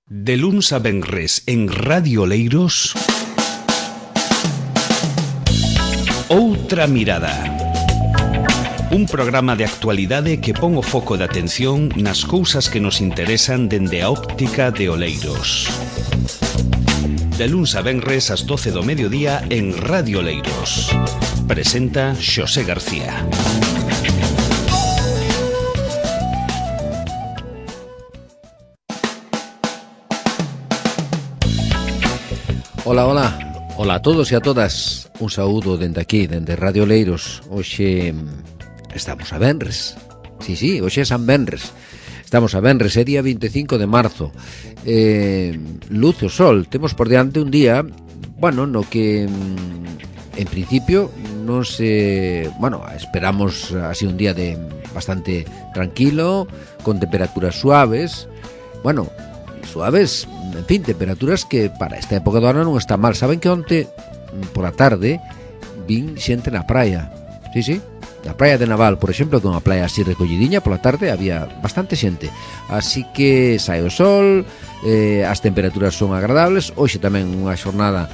De luns a venres en Radio Oleiros, Outra Mirada. Un programa de actualidade que pon o foco de atención nas cousas que nos interesan dende a óptica de Oleiros. De luns a venres ás 12 do mediodía en Radio Oleiros. Presenta Xosé García. Hola, hola. Hola a todos e a todas. Un saúdo dende aquí, dende Radio Oleiros. Hoxe estamos a venres. Sí, hoxe é San Venres. Estamos a venres, é día 25 de marzo. Luce o sol. Temos por diante un día, no que en principio non se... esperamos así un día de bastante tranquilo, con temperaturas suaves. Suaves, en fin, temperaturas que para esta época do ano non está mal. Saben que onte, por a tarde, vin xente na praia. Sí, na praia de Naval, por exemplo, que é unha praia así recollidiña, por a tarde había bastante xente. Así que sae o sol, as temperaturas son agradables. Hoxe tamén unha xornada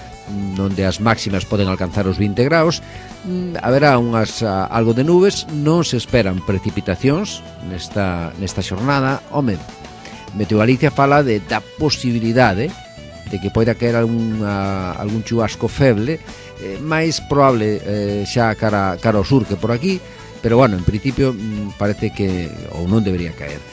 onde as máximas poden alcanzar os 20 graus. Haberá algo de nubes, non se esperan precipitacións nesta xornada. Meteo Galicia fala da posibilidade de que poida caer algún chubasco feble, máis probable xa cara ao sur que por aquí, pero en principio parece que ou non debería caer.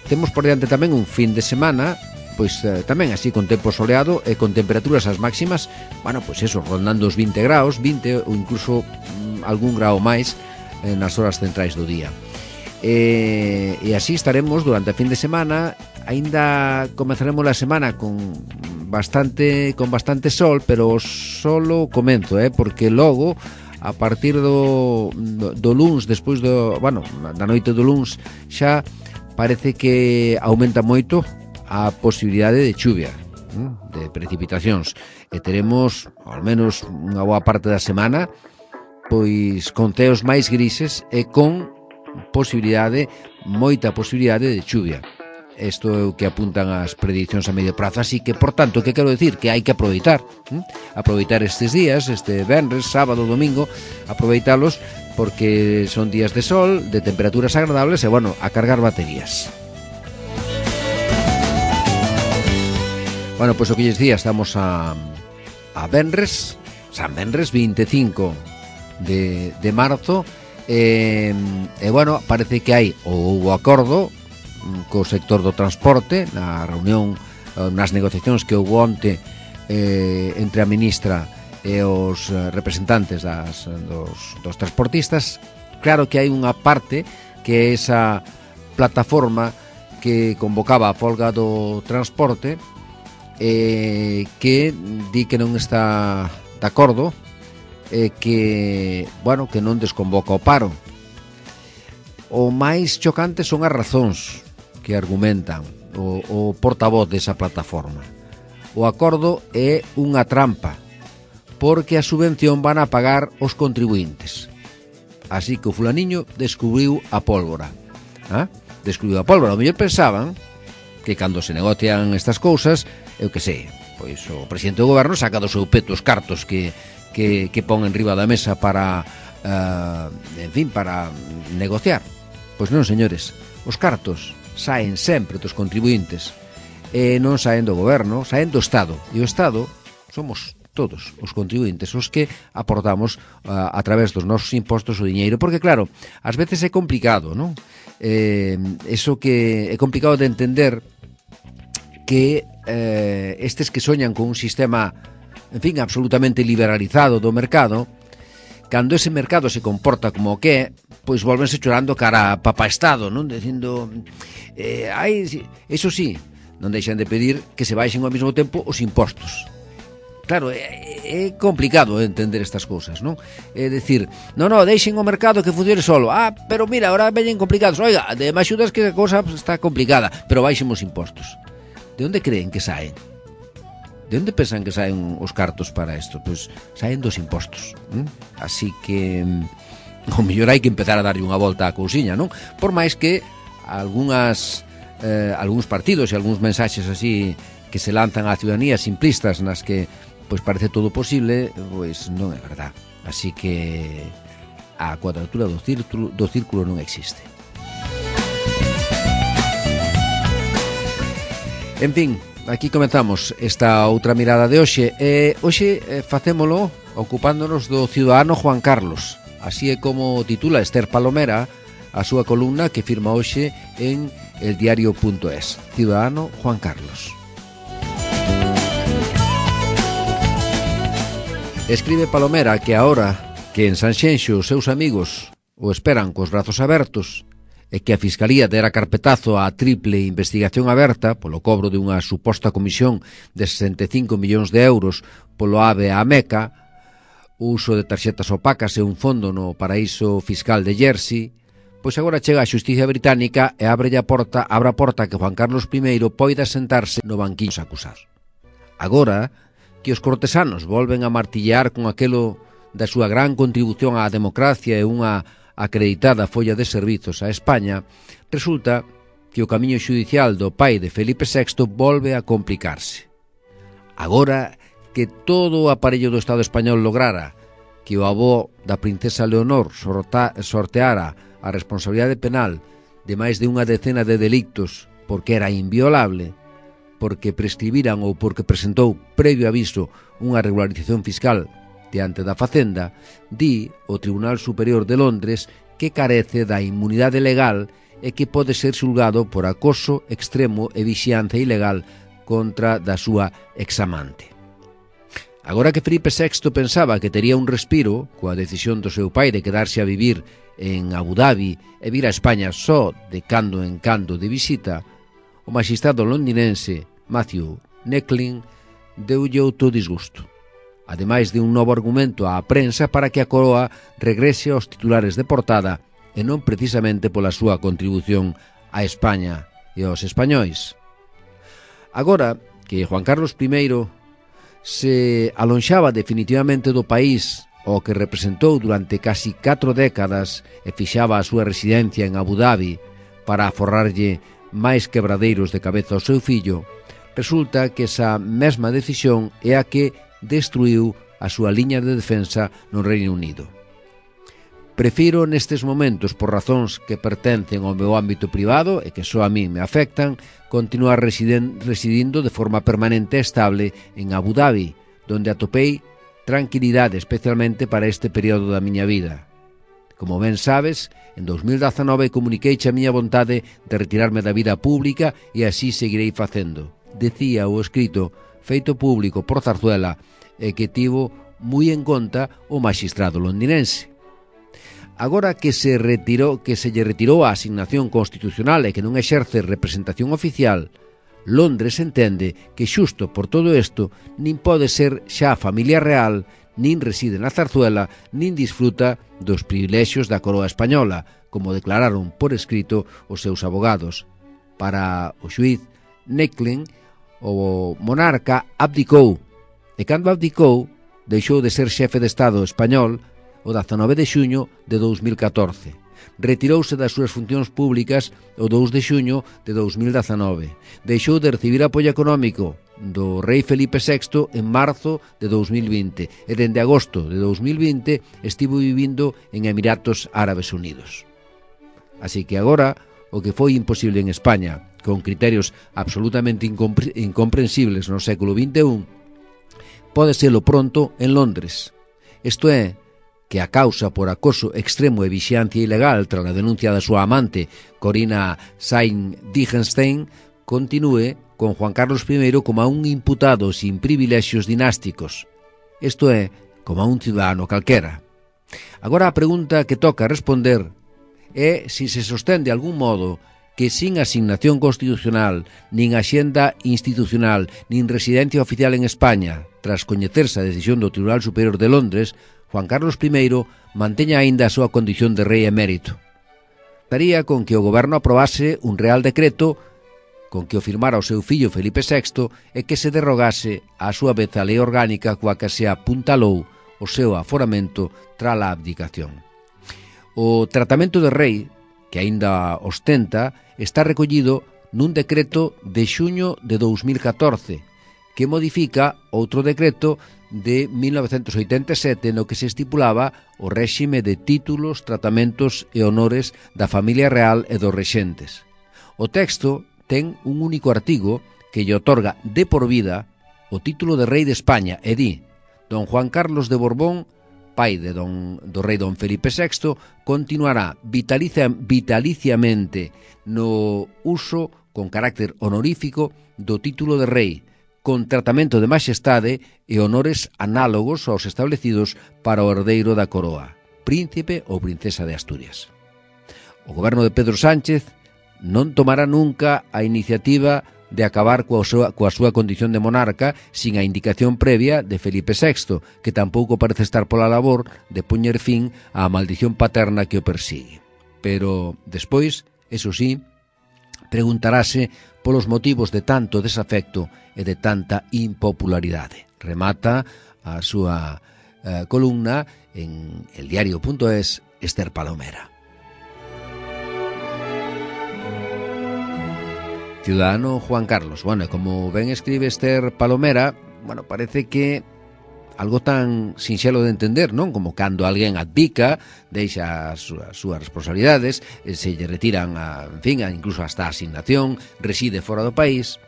Temos por diante tamén un fin de semana, pois tamén así con tempo soleado e con temperaturas as máximas, rondando os 20 graus, 20 ou incluso algún grau máis nas horas centrais do día. E así estaremos durante a fin de semana. Aínda comezaremos a semana con bastante sol, pero solo comento, porque logo a partir do luns, despois da noite do luns, xa parece que aumenta moito a posibilidade de chuvia, de precipitacións, e teremos ao menos unha boa parte da semana pois con ceos máis grises e con moita posibilidade de chuvia. Isto é o que apuntan as predicións a medio prazo. Así que, por tanto, que quero decir? Que hai que aproveitar estes días, este venres, sábado, domingo, aproveitalos porque son días de sol, de temperaturas agradables e, a cargar baterías. Pois o que lles día, estamos a venres, San Venres, 25 de marzo. Parece que hai o acordo co sector do transporte na reunión, nas negociacións que houve onte entre a ministra e os representantes dos transportistas. Claro que hai unha parte que é esa plataforma que convocaba a folga do transporte, que di que non está de acordo, que non desconvoca o paro. O máis chocante son as razóns que argumentan o portavoz desa plataforma. O acordo é unha trampa, porque a subvención van a pagar os contribuintes. Así que o fulaniño descubriu a pólvora. O mellor pensaban que cando se negocian estas cousas, eu que sei, pois o presidente do goberno saca do seu peto os cartos que pon en riba da mesa para negociar. Pois non, señores, os cartos saen sempre dos contribuintes e non saen do goberno, saen do Estado, e o Estado somos todos os contribuintes os que aportamos a través dos nosos impostos o diñeiro, porque claro, ás veces é complicado, non? Eso que é complicado de entender, que estes que soñan con un sistema absolutamente liberalizado do mercado, cando ese mercado se comporta como o que é, pois volvense chorando cara a papá Estado, non? Dicindo, eso sí, non deixan de pedir que se baixen ao mesmo tempo os impostos. Claro, é complicado entender estas cousas, non? É dicir, deixen o mercado que funcione solo. Pero mira, ahora veñen complicados. Oiga, de máis xudas que a cousa está complicada, pero baixen os impostos. De onde creen que saen? De onde pensan que saen os cartos para isto? Pois saen dos impostos. Así que o mellor hai que empezar a darlle unha volta á cousiña, non? Por máis que algunhas algúns partidos e algúns mensaxes así que se lanzan á ciudadanía simplistas nas que pois parece todo posible, pois non é verdad. Así que a cuadratura do círculo non existe. En fin, aquí comenzamos esta outra mirada de hoxe. Hoxe facémolo ocupándonos do ciudadano Juan Carlos. Así é como titula Esther Palomera a súa columna que firma hoxe en eldiario.es. Ciudadano Juan Carlos. Escribe Palomera que agora que en Sanxenxo os seus amigos o esperan cos brazos abertos e que a Fiscalía dera carpetazo á triple investigación aberta polo cobro dunha suposta comisión de 65 millóns de euros polo AVE a Meca, o uso de tarxetas opacas e un fondo no paraíso fiscal de Jersey, pois agora chega a xusticia británica e abre a porta que Juan Carlos I poida sentarse no banquillo acusar. Agora que os cortesanos volven a martillear con aquelo da súa gran contribución á democracia e unha acreditada folla de servizos a España, resulta que o camiño xudicial do pai de Felipe VI volve a complicarse. Agora que todo o aparello do Estado español lograra que o avó da princesa Leonor sorteara a responsabilidade penal de máis de unha decena de delictos porque era inviolable, porque prescribiran ou porque presentou previo aviso unha regularización fiscal diante da Facenda, di o Tribunal Superior de Londres que carece da inmunidade legal e que pode ser xulgado por acoso extremo e vixianza ilegal contra da súa examante. Agora que Felipe VI pensaba que tería un respiro coa decisión do seu pai de quedarse a vivir en Abu Dhabi e vir a España só de cando en cando de visita, o magistrado londinense Matthew Necklin deulle outro disgusto, ademais de un novo argumento á prensa para que a Coroa regrese aos titulares de portada e non precisamente pola súa contribución a España e aos españois. Agora que Juan Carlos I se alonxaba definitivamente do país ao que representou durante casi 4 décadas e fixaba a súa residencia en Abu Dhabi para aforrarlle máis quebradeiros de cabeza ao seu fillo, resulta que esa mesma decisión é a que destruiu a súa liña de defensa no Reino Unido. Prefiro nestes momentos, por razóns que pertencen ao meu ámbito privado e que só a mí me afectan, continuar residindo de forma permanente e estable en Abu Dhabi, donde atopei tranquilidade especialmente para este período da miña vida. Como ben sabes, en 2019 comuniqueiche a miña vontade de retirarme da vida pública e así seguirei facendo, decía o escrito feito público por Zarzuela e que tivo moi en conta o maxistrado londinense. Agora que se lle retirou a asignación constitucional e que non exerce representación oficial, Londres entende que xusto por todo isto nin pode ser xa familia real, nin reside na Zarzuela, nin disfruta dos privilexios da coroa española, como declararon por escrito os seus abogados. Para o xuíz Necklin, o monarca abdicou, e cando abdicou, deixou de ser xefe de Estado español o 19 de xuño de 2014. Retirouse das súas funcións públicas o 2 de xuño de 2019. Deixou de recibir apoio económico do rei Felipe VI en marzo de 2020 e dende agosto de 2020 estivo vivindo en Emiratos Árabes Unidos. Así que agora, o que foi imposible en España, con criterios absolutamente incomprensibles no século XXI, pode serlo pronto en Londres. Isto é, que a causa por acoso extremo e vixiancia ilegal tras a denuncia da súa amante, Corina Sain-Digenstein, continúe con Juan Carlos I como a un imputado sin privilexios dinásticos. Isto é, como a un ciudadano calquera. Agora a pregunta que toca responder é se se sostén de algún modo que sin asignación constitucional, nin axenda institucional, nin residencia oficial en España, tras coñecerse a decisión do Tribunal Superior de Londres, Juan Carlos I manteña aínda a súa condición de rei emérito. Daría con que o goberno aprobase un real decreto con que o firmara o seu fillo Felipe VI e que se derrogase a súa vez a lei orgánica coa que se apuntalou o seu aforamento tras a abdicación. O tratamento de rei, que aínda ostenta, está recollido nun decreto de xuño de 2014, que modifica outro decreto de 1987 no que se estipulaba o réxime de títulos, tratamentos e honores da familia real e dos rexentes. O texto ten un único artigo que lle otorga de por vida o título de rei de España e di: don Juan Carlos de Borbón, pai do rei don Felipe VI, continuará vitaliciamente no uso con carácter honorífico do título de rei, con tratamento de maxestade e honores análogos aos establecidos para o herdeiro da coroa, príncipe ou princesa de Asturias. O goberno de Pedro Sánchez non tomará nunca a iniciativa de acabar coa súa condición de monarca sin a indicación previa de Felipe VI, que tampouco parece estar pola labor de poñer fin á maldición paterna que o persigue. Pero, despois, eso sí, preguntarase polos motivos de tanto desafecto e de tanta impopularidade. Remata a súa columna en eldiario.es Esther Palomera. Ciudadano Juan Carlos. Bueno, como ben escribe Esther Palomera, bueno, parece que algo tan sinxelo de entender, non? Como cando alguén abdica, deixa as súas responsabilidades, se lle retiran, incluso hasta a asignación, reside fora do país.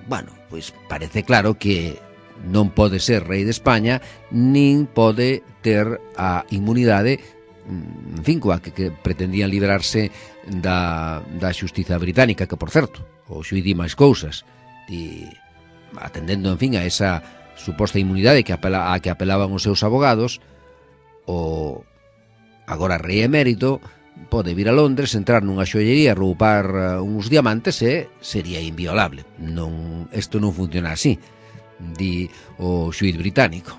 Bueno, pois parece claro que non pode ser rei de España, nin pode ter a inmunidade, en fin, coa que pretendían librarse da xustiza británica, que, por certo, o xuiz di máis cousas, atendendo, en fin, a esa suposta inmunidade a que apelaban os seus abogados. O agora rei emérito pode vir a Londres, entrar nunha xoallería, roubar uns diamantes e sería inviolable. Isto non funciona así, di o xuiz británico.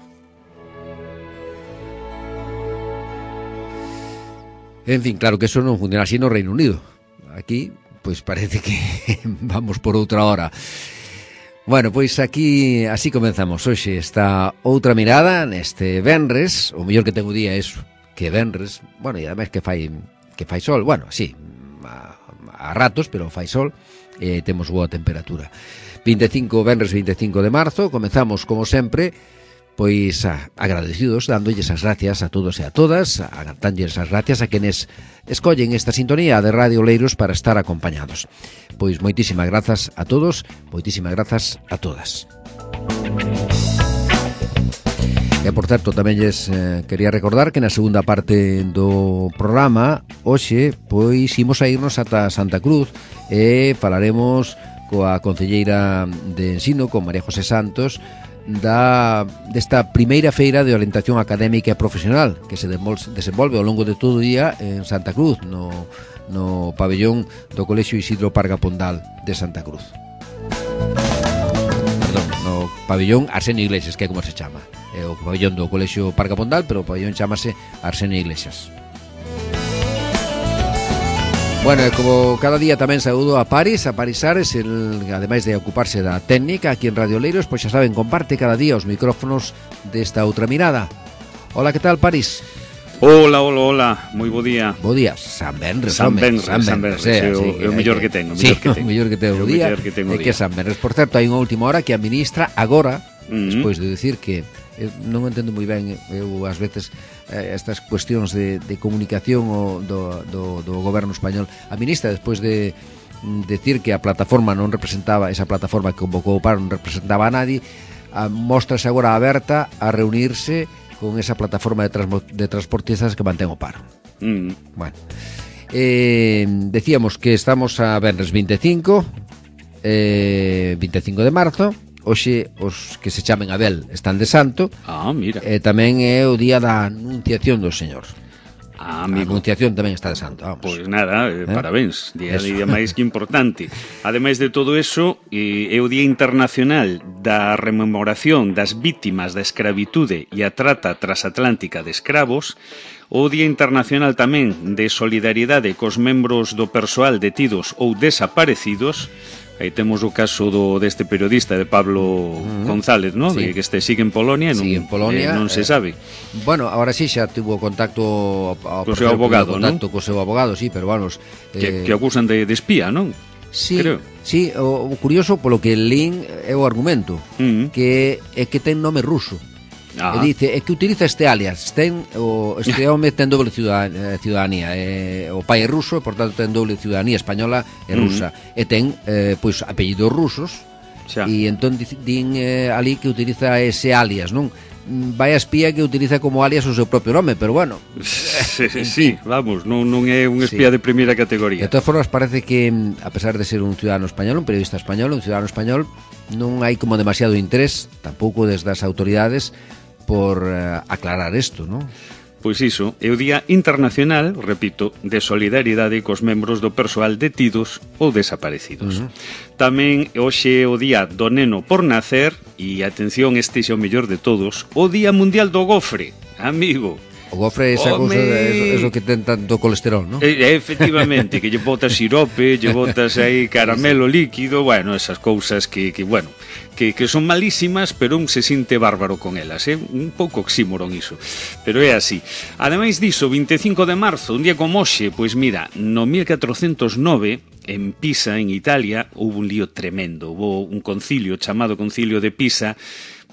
En fin, claro que eso non funciona así no Reino Unido. Aquí, pois parece que vamos por outra hora. Bueno, pois aquí así comenzamos hoxe esta outra mirada neste venres. O mellor que ten o día é que venres, bueno, e ademais que fai sol, bueno, sí, a ratos, pero fai sol e temos boa temperatura. Venres 25 de marzo, comenzamos como sempre, pois agradecidos, dándolles as gracias a todos e a todas, dánlles as gracias a quenes escollen esta sintonía de Radio Oleiros para estar acompañados. Pois moitísimas grazas a todos, moitísimas grazas a todas. E, por certo, tamén lles quería recordar que na segunda parte do programa hoxe, pois, imos a irnos ata Santa Cruz e falaremos coa concelleira de Ensino, con María José Santos, desta primeira feira de orientación académica e profesional que se desenvolve ao longo de todo o día en Santa Cruz, no pabellón do Colexio Isidro Parga Pondal de Santa Cruz. Perdón, no pabellón Arsenio Iglesias, que é como se chama. É o pabellón do Colexio Parga Pondal, pero o pabellón chamase Arsenio Iglesias. Bueno, como cada día tamén saúdo a Paris Ares, ademais de ocuparse da técnica aquí en Radio Oleiros, pois xa saben, comparte cada día os micrófonos desta outra mirada. Hola, que tal, Paris? Hola, moi bo día. Bo día, San Benres, é o mellor que tengo, o mellor que tengo o día, é que San Benres. Por certo, hai unha última hora que a ministra agora, despois de decir que non entendo moi ben, eu ás veces estas cuestións de comunicación do goberno español, a ministra, despois de decir que a plataforma non representaba, esa plataforma que convocou o paro non representaba a nadie, mostrase agora aberta a reunirse con esa plataforma de transportistas que mantén o paro. Bueno, decíamos que estamos a venres 25 de marzo. Hoxe os que se chamen Abel están de santo. Mira. E tamén é o día da Anunciación do Señor. Amigo. A Anunciación tamén está de santo, vamos. Pois nada, parabéns, día máis que importante. Ademais de todo eso, é o Día Internacional da Rememoración das Vítimas da Escravitude e a Trata Transatlántica de Escravos, o Día Internacional tamén de Solidariedade cos membros do persoal detidos ou desaparecidos. Aí temos o caso deste periodista de Pablo González, ¿no? Sí. Que sigue en Polonia, non se sabe. Bueno, ahora sí xa tuvo contacto co seu abogado, co seu abogado, sí, pero vamos, que acusan de espía, non? Sí, creo. Sí, o curioso polo que lín é o argumento, que é que ten nome ruso. E dice, é que utiliza este alias, este home ten doble ciudadanía, o pai é ruso, e por tanto ten doble ciudadanía española e rusa, e ten pois apellidos rusos, e entón din ali que utiliza ese alias, non? Vai a espía que utiliza como alias o seu propio nome, pero bueno. Sí, vamos, non é un espía de primeira categoría. De todas formas, parece que, a pesar de ser un ciudadano español, un periodista español, un ciudadano español, non hai como demasiado interés, tampouco desde as autoridades, por aclarar isto, non? Pois iso, é o Día Internacional, repito, de solidaridade cos membros do persoal detidos ou desaparecidos. Tamén hoxe é o Día do Neno por Nacer e, atención, este é o mellor de todos, o Día Mundial do Gofre, amigo. O gofre é esa cousa, eso que ten tanto colesterol, non? Efectivamente, que lle botas sirope, lle botas aí caramelo líquido, bueno, esas cousas que son malísimas, pero un se sinte bárbaro con elas, un pouco oxímoron iso, pero é así. Ademais diso, 25 de marzo, un día como hoxe, pois mira, no 1409, en Pisa, en Italia, houve un lío tremendo, houve un concilio chamado Concilio de Pisa,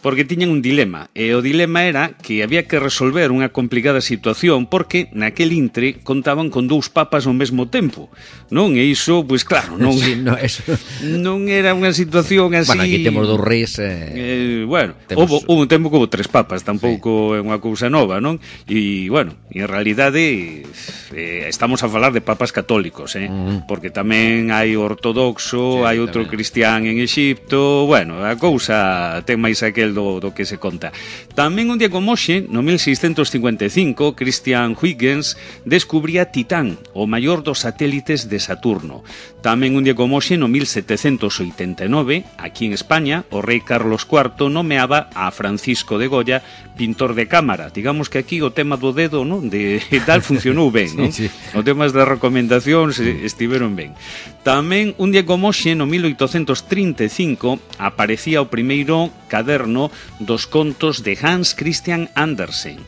porque tiñan un dilema, e o dilema era que había que resolver unha complicada situación porque naquel intre contaban con dous papas ao mesmo tempo, non? E iso, pois claro, non, sí, no, eso... non era unha situación así... Bueno, aquí temos dous reis... bueno, houve un tempo que houve tres papas, tampouco é unha cousa nova, non? E, bueno, en realidade estamos a falar de papas católicos, porque tamén hai ortodoxo, hai outro cristián en Exipto, bueno, a cousa ten máis aquel do que se conta. Tamén un día como hoxe, no 1655, Christian Huygens descubría Titán, o maior dos satélites de Saturno. Tamén un día como hoxe, no 1789, aquí en España, o rei Carlos IV nomeaba a Francisco de Goya pintor de cámara. Digamos que aquí o tema do dedo, non? De tal funcionou ben, non? Sí, sí. Os temas de recomendacións estiveron ben. Tamén un día como hoxe, no 1835, aparecía o primeiro caderno dos contos de Hans Christian Andersen.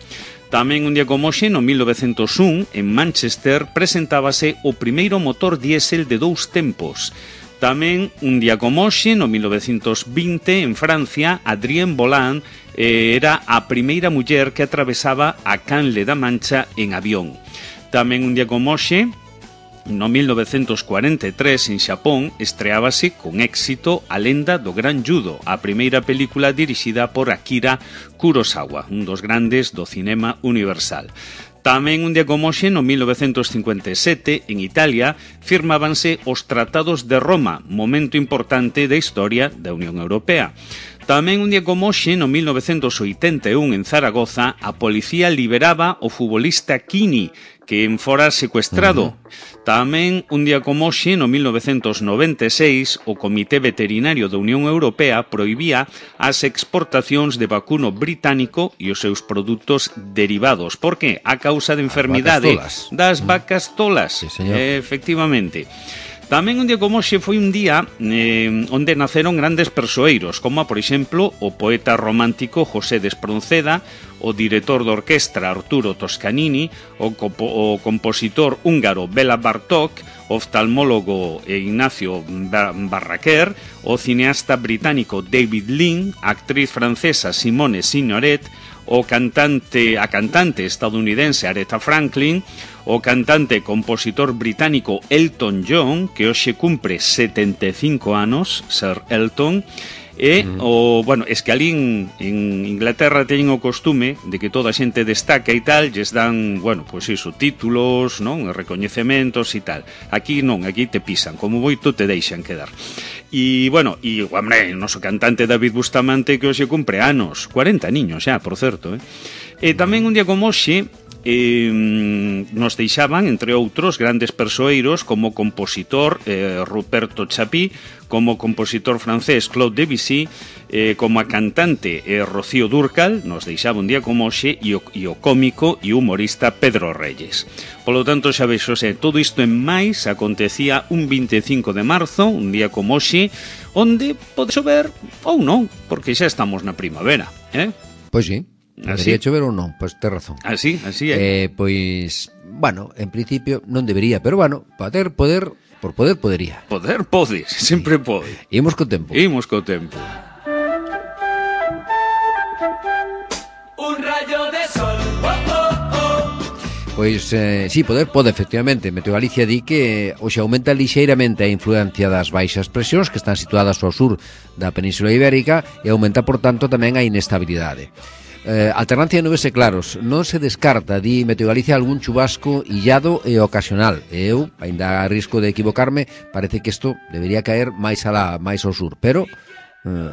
Tamén un día como hoxe, no 1901, en Manchester, presentábase o primeiro motor diésel de 2 tempos. Tamén un día como hoxe, no 1920, en Francia, Adrienne Bolland era a primeira muller que atravesaba a Canle da Mancha en avión. Tamén un día como hoxe, no 1943, en Xapón, estreábase con éxito A lenda do gran judo, a primeira película dirixida por Akira Kurosawa, un dos grandes do cinema universal. Tamén un día como hoxe, no 1957, en Italia, firmábanse os Tratados de Roma, momento importante da historia da Unión Europea. Tamén un día como hoxe, no 1981, en Zaragoza, a policía liberaba o futbolista Kini, que fora secuestrado. Tamén un día como hoxe, no 1996, o Comité Veterinario da Unión Europea prohibía as exportacións de vacuno británico e os seus produtos derivados. Por que? A causa de enfermidade das vacas tolas. Sí, señor. Efectivamente. Tamén un día como hoxe foi un día onde naceron grandes persoeiros, como, por exemplo, o poeta romántico José de Espronceda, o director de orquestra Arturo Toscanini, o compositor húngaro Béla Bartók, o oftalmólogo Ignacio Barraquer, o cineasta británico David Lean, a actriz francesa Simone Signoret, a cantante estadounidense Aretha Franklin, o cantante e compositor británico Elton John, que hoxe cumpre 75 anos, Sir Elton, e es que ali en Inglaterra teñen o costume de que toda a xente destaca e tal, lles dan, títulos, non, recoñecementos e tal. Aquí non, aquí te pisan, como moito te deixan quedar. E, hombre, o noso cantante David Bustamante, que hoxe cumpre anos, 40 niños xa, por certo, E tamén un día como hoxe, nos deixaban, entre outros, grandes persoeiros como compositor Ruperto Chapí, como compositor francés Claude Debussy, como a cantante Rocío Dúrcal, nos deixaba un día como hoxe, e o cómico e humorista Pedro Reyes. Polo tanto, xa vexo, todo isto en máis acontecía un 25 de marzo, un día como hoxe, onde pode chover ou non, porque xa estamos na primavera, Pois sí. Debería chover ou non? Pois ten razón. Así é. Pois, en principio non debería, pero poder por poder, podería. Poder, podes, sempre pode. Imos co tempo. Imos co tempo. Un rayo de sol, Pois, sí, poder pode, efectivamente. Meteo Galicia di que hoxe aumenta lixeiramente a influencia das baixas presións que están situadas ao sur da Península Ibérica e aumenta, por tanto, tamén a inestabilidade. Alternancia de nubes e claros. Non se descarta, di Meteo Galicia, algún chubasco illado e ocasional. Eu, ainda a risco de equivocarme, parece que isto debería caer máis ao sur, pero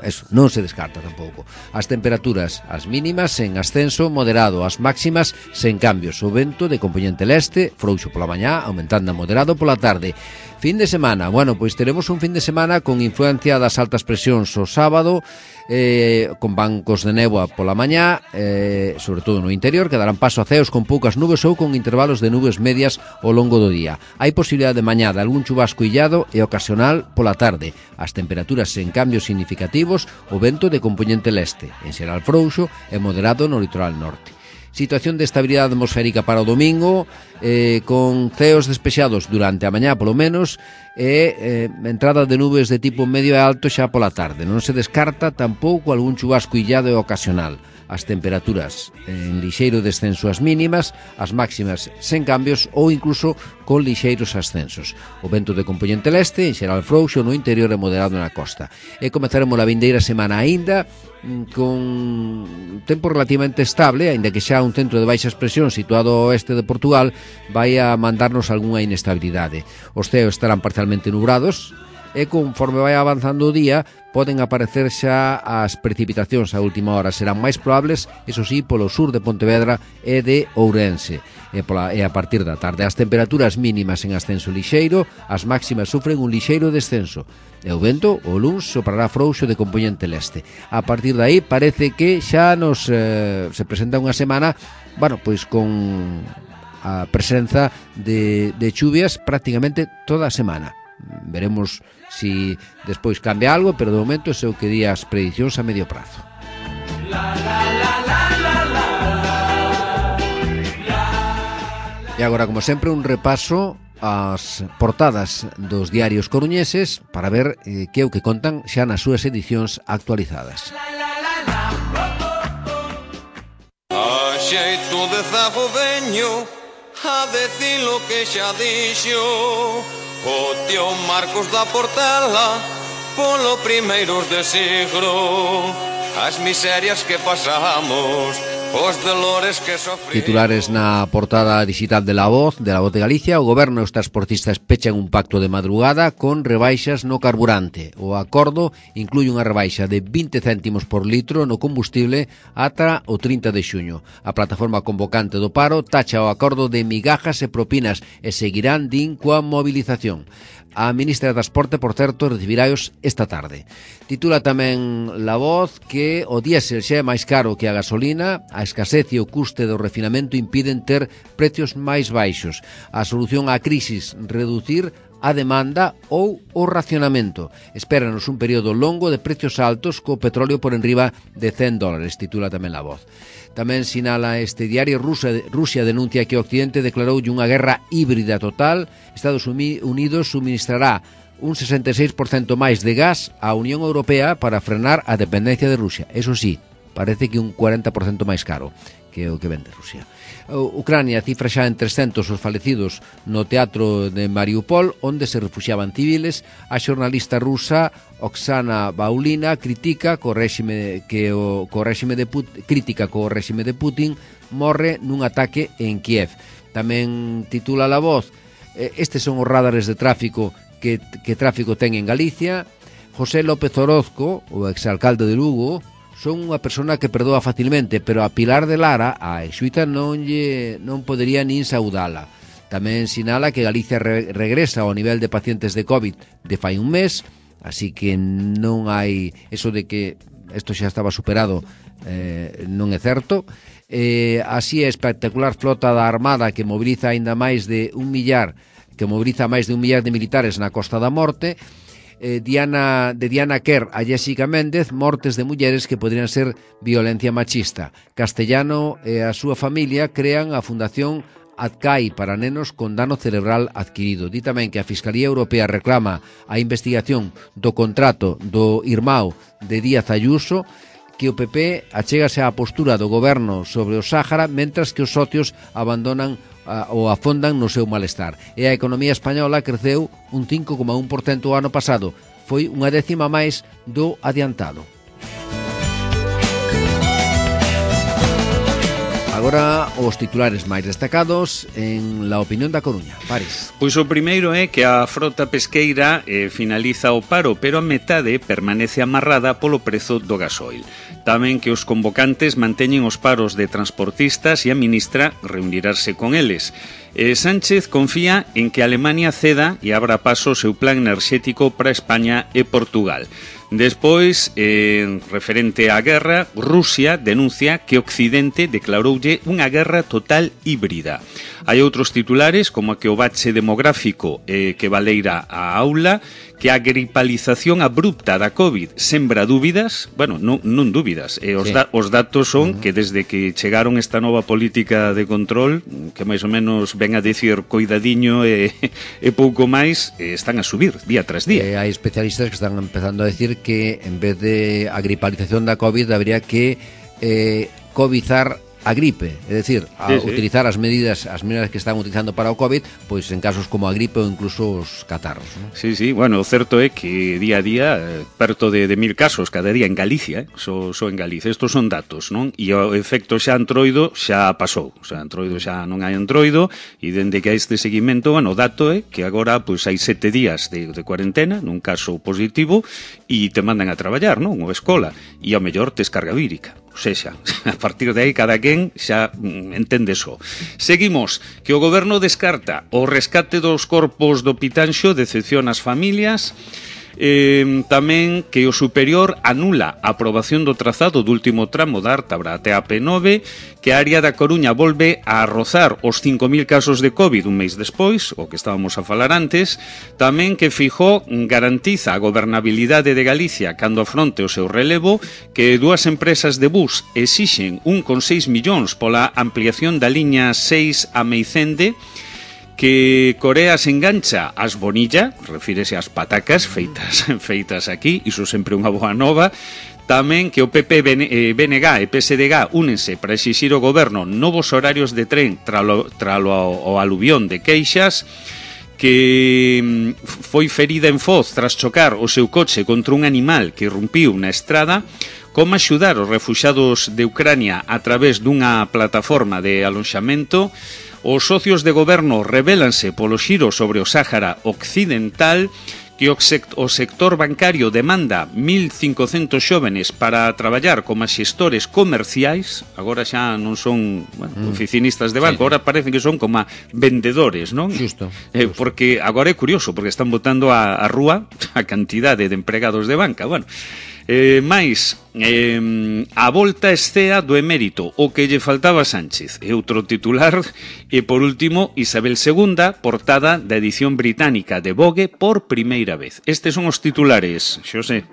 eso, non se descarta tampouco. As temperaturas, as mínimas en ascenso moderado, as máximas sen cambios. O vento de compoñente leste, frouxo pola mañá, aumentando a moderado pola tarde. Fin de semana, bueno, pois teremos un fin de semana con influencia das altas presións o sábado, con bancos de néboa pola mañá, sobre todo no interior, que darán paso a ceos con poucas nubes ou con intervalos de nubes medias ao longo do día. Hai posibilidade de mañá de algún chubasco illado e ocasional pola tarde. As temperaturas sen cambios significativos, o vento de compoñente leste, en xeral frouxo e moderado no litoral norte. Situación de estabilidade atmosférica para o domingo, con ceos despexados durante a mañá polo menos, e entrada de nubes de tipo medio e alto xa pola tarde. Non se descarta tampouco algún chubasco illado e ocasional. As temperaturas en lixeiro descenso as mínimas, as máximas sen cambios ou incluso con lixeiros ascensos. O vento de compoñente leste, en xeral frouxo no interior e moderado na costa. E comezaremos a vindeira semana aínda con tempo relativamente estable, aínda que xa un centro de baixas presións situado ao oeste de Portugal vai a mandarnos algunha inestabilidade. Os ceos estarán parcialmente nubrados e conforme vai avanzando o día poden aparecer xa as precipitacións a última hora. Serán máis probables, eso sí, polo sur de Pontevedra e de Ourense. E a partir da tarde as temperaturas mínimas en ascenso lixeiro, as máximas sufren un lixeiro descenso. E o vento, o luns, soprará frouxo de compoñente leste. A partir de aí parece que xa nos se presenta unha semana, bueno, pois con a presenza de chuvias prácticamente toda a semana. Veremos si despois cambia algo, pero de momento ese é o que di as predicións a medio prazo. E agora, como sempre, un repaso ás portadas dos diarios coruñeses para ver que é o que contan xa nas súas edicións actualizadas. A xeito de zago veño a decir lo que xa dixo o tío Marcos da Portela polo primeiros de siglo, as miserias que pasamos, os dolores que sofrimos. Titulares na portada digital de La Voz de Galicia. O goberno e os transportistas pechan un pacto de madrugada con rebaixas no carburante. O acordo inclui unha rebaixa de 20 céntimos por litro no combustible ata o 30 de xuño. A plataforma convocante do paro tacha o acordo de migajas e propinas e seguirán, din, coa movilización. A ministra de Transporte, por certo, recibiráos esta tarde. Titula tamén La Voz que o diésel xa é máis caro que a gasolina, a escasez e o custe do refinamento impiden ter precios máis baixos. A solución á crisis, reducir a demanda ou o racionamento. Espéranos un período longo de precios altos co petróleo por enriba de $100, titula tamén La Voz. Tamén sinala este diario, Rusia denuncia que o Occidente declarou unha guerra híbrida total. Estados Unidos suministrará un 66% máis de gas á Unión Europea para frenar a dependencia de Rusia. Eso sí, parece que un 40% máis caro que o que vende Rusia. Ucrania cifra xa en 300 os falecidos no teatro de Mariupol, onde se refuxiaban civiles. A xornalista rusa Oksana Baulina critica co réxime de Putin morre nun ataque en Kiev. Tamén titula La Voz, estes son os radares de tráfico que tráfico ten en Galicia. José López Orozco, o exalcalde de Lugo, son unha persona que perdoa facilmente, pero a Pilar de Lara, a exuita, non podería nin saudala. Tamén sinala que Galicia regresa ao nivel de pacientes de COVID de fai un mes, así que non hai eso de que isto xa estaba superado, non é certo. Así é espectacular flota da Armada que moviliza aínda máis de un millar de militares na Costa da Morte. Diana Kerr a Jessica Méndez, mortes de mulleres que poderían ser violencia machista. Castellano e a súa familia crean a Fundación adcai para nenos con dano cerebral adquirido. Di tamén que a Fiscalía Europea reclama a investigación do contrato do irmão de Díaz Ayuso, que o PP achégase á postura do goberno sobre o Sáhara, mentras que os socios abandonan ou afondan no seu malestar. E a economía española creceu un 5,1% o ano pasado. Foi unha décima máis do adiantado. Agora os titulares máis destacados en La Opinión da Coruña. Paris. Pois o primeiro é que a frota pesqueira finaliza o paro, pero a metade permanece amarrada polo prezo do gasoil. Tamén que os convocantes manteñen os paros de transportistas e a ministra reunirase con eles. Sánchez confía en que Alemania ceda e abra paso o seu plan enerxético para España e Portugal. Despois, referente á guerra, Rusia denuncia que Occidente declaroulle unha guerra total híbrida. Hai outros titulares, como que o bache demográfico que baleira a aula, que a gripalización abrupta da COVID sembra dúbidas, bueno, non dúbidas, os datos son que desde que chegaron esta nova política de control, que máis ou menos ven a decir coidadiño e pouco máis, están a subir día tras día. Hai especialistas que están empezando a decir que en vez de a gripalización da COVID habría que covidar a gripe, é dicir, utilizar as medidas que están utilizando para o COVID, pois en casos como a gripe ou incluso os catarros, non? Sí, bueno, o certo é que día a día perto de 1000 casos cada día en Galicia, só en Galicia. Estos son datos, non? E o efecto xa antroido xa pasou, o sea, antroido xa non hai antroido, e dende que hai este seguimento, bueno, o dato é que agora pois hai 7 días de cuarentena nun caso positivo e te mandan a traballar, non? Ou a escola, e ao mellor tes carga vírica. O sexa, a partir de aí cada quen xa entende só. Seguimos, que o goberno descarta o rescate dos corpos do Pitanxo, decepciona as familias. Tamén que o superior anula a aprobación do trazado do último tramo da Ártabra até a P9, que a área da Coruña volve a rozar os 5.000 casos de COVID un mês despois, o que estábamos a falar antes. Tamén que Feijóo garantiza a gobernabilidade de Galicia cando afronte o seu relevo, que dúas empresas de bus exixen 1,6 millóns pola ampliación da liña 6 a Meicende, que Corea se engancha ás bonilla, refírese ás patacas feitas aquí, iso sempre unha boa nova. Tamén que o PP, BNG e PSDG únense para exixir ao goberno novos horarios de tren tralo ao aluvión de queixas, que foi ferida en Foz tras chocar o seu coche contra un animal que irrumpiu na estrada. Como axudar os refuxados de Ucrania a través dunha plataforma de aloxamento. Os socios de goberno revélanse polo xiro sobre o Sáhara Occidental, que o sector bancario demanda 1.500 xóvenes para traballar como xestores comerciais. Agora xa non son oficinistas de banco, agora parece que son como vendedores, non? Justo. Porque agora é curioso, porque están botando a rúa a cantidade de empregados de banca. Bueno, máis a volta escea do emérito, o que lle faltaba a Sánchez, e outro titular. E por último, Isabel II, portada da edición británica de Vogue por primeira vez. Estes son os titulares, Xosé.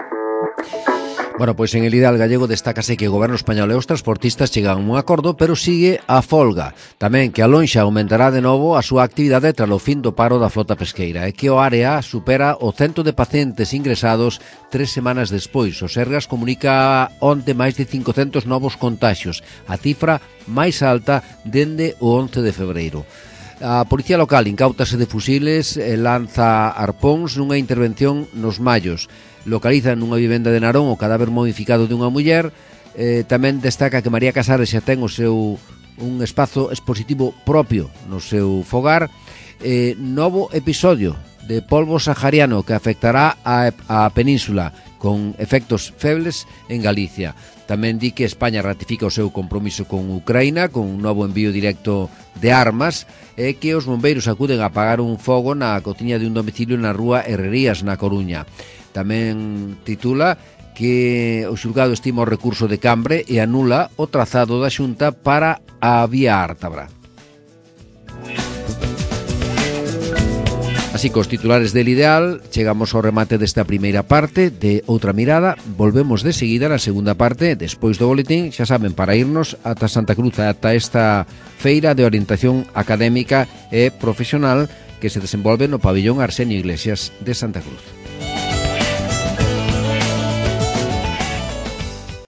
Bueno, pois en el ideal gallego destácase que o goberno español e os transportistas chegan a un acordo, pero sigue a folga. Tamén que a lonxa aumentará de novo a súa actividade tras o fin do paro da flota pesqueira e que o área supera o 100 de pacientes ingresados 3 semanas despois. O Sergas comunica onte máis de 500 novos contaxios, a cifra máis alta dende o 11 de febreiro. A Policía Local incautase de fusiles e lanza arpóns nunha intervención nos Mallos. Localiza nunha vivenda de Narón o cadáver momificado dunha muller. Tamén destaca que María Casares xa ten un espazo expositivo propio no seu fogar. Novo episodio de polvo sahariano que afectará a península con efectos febles en Galicia. Tamén di que España ratifica o seu compromiso con Ucraína con un novo envío directo de armas e que os bombeiros acuden a apagar un fogo na cociña de un domicilio na rúa Herrerías, na Coruña. Tamén titula que o xulgado estima o recurso de Cambre e anula o trazado da Xunta para a vía Ártabra. Así, cos titulares del Ideal, chegamos ao remate desta primeira parte de Outra Mirada. Volvemos de seguida na segunda parte, despois do boletín, xa saben, para irnos ata Santa Cruz, ata esta feira de orientación académica e profesional que se desenvolve no pabillón Arsenio Iglesias de Santa Cruz.